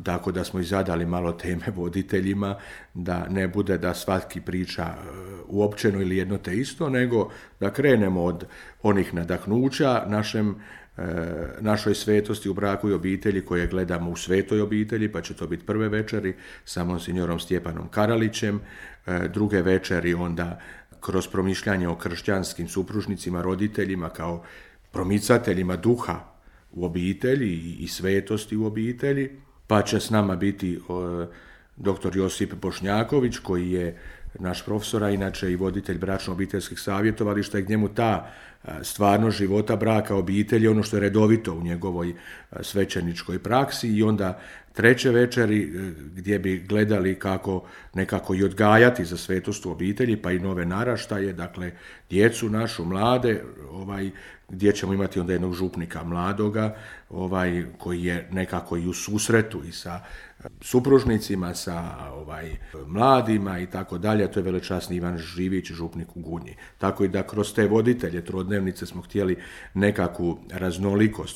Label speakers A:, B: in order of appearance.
A: tako da smo i zadali malo teme voditeljima, da ne bude da svaki priča uopćeno ili jedno te isto, nego da krenemo od onih nadahnuća našoj svetosti u braku i obitelji koje gledamo u Svetoj obitelji, pa će to biti prve večeri sa monsignorom Stjepanom Karalićem, druge večeri onda kroz promišljanje o kršćanskim supružnicima, roditeljima kao promicateljima duha u obitelji i svetosti u obitelji, pa će s nama biti dr. Josip Bošnjaković, koji je naš profesor, a inače i voditelj bračno-obiteljskih savjetovališta, i gdje mu ta stvarnost života braka obitelji, ono što je redovito u njegovoj svećeničkoj praksi, i onda treće večeri gdje bi gledali kako nekako i odgajati za svetost u obitelji, pa i nove naraštaje, dakle djecu našu, mlade, gdje ćemo imati onda jednog župnika mladoga, koji je nekako i u susretu i sa supružnicima, sa mladima i tako dalje. To je velečasni Ivan Živić, župnik u Gunji. Tako i da kroz te voditelje trodnevnice smo htjeli nekakvu raznolikost